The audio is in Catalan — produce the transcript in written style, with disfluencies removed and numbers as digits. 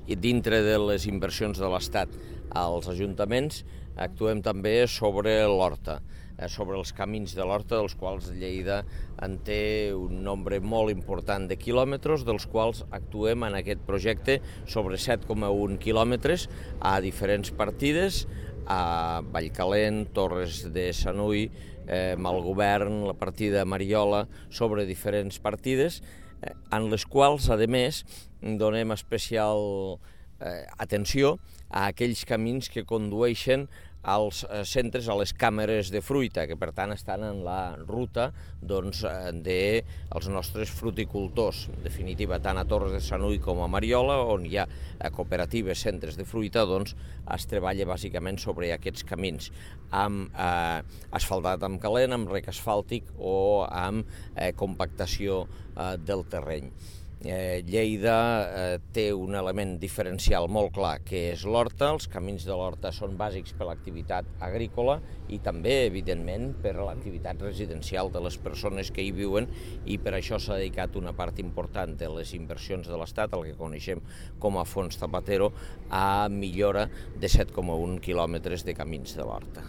i dintre de les inversions de l'Estat als ajuntaments actuem també sobre l'horta, sobre els camins de l'horta, dels quals Lleida en té un nombre molt important de quilòmetres, dels quals actuem en aquest projecte sobre 7,1 quilòmetres a diferents partides, a Vallcalent, Torres de Sanui, Malgovern, la partida Mariola, sobre diferents partides, en les quals, a més, donem especial atenció a aquells camins que condueixen als centres, a les càmeres de fruita, que per tant estan en la ruta dels nostres fruticultors. En definitiva, tant a Torres de Sanui com a Mariola, on hi ha cooperatives, centres de fruita, es treballa bàsicament sobre aquests camins, amb asfaltat amb calent, amb rec asfàltic o amb compactació del terreny. Lleida té un element diferencial molt clar, que és l'horta. Els camins de l'horta són bàsics per a l'activitat agrícola i també, evidentment, per a l'activitat residencial de les persones que hi viuen, i per això s'ha dedicat una part important de les inversions de l'Estat, el que coneixem com a Fons Zapatero, a millora de 7,1 quilòmetres de camins de l'horta.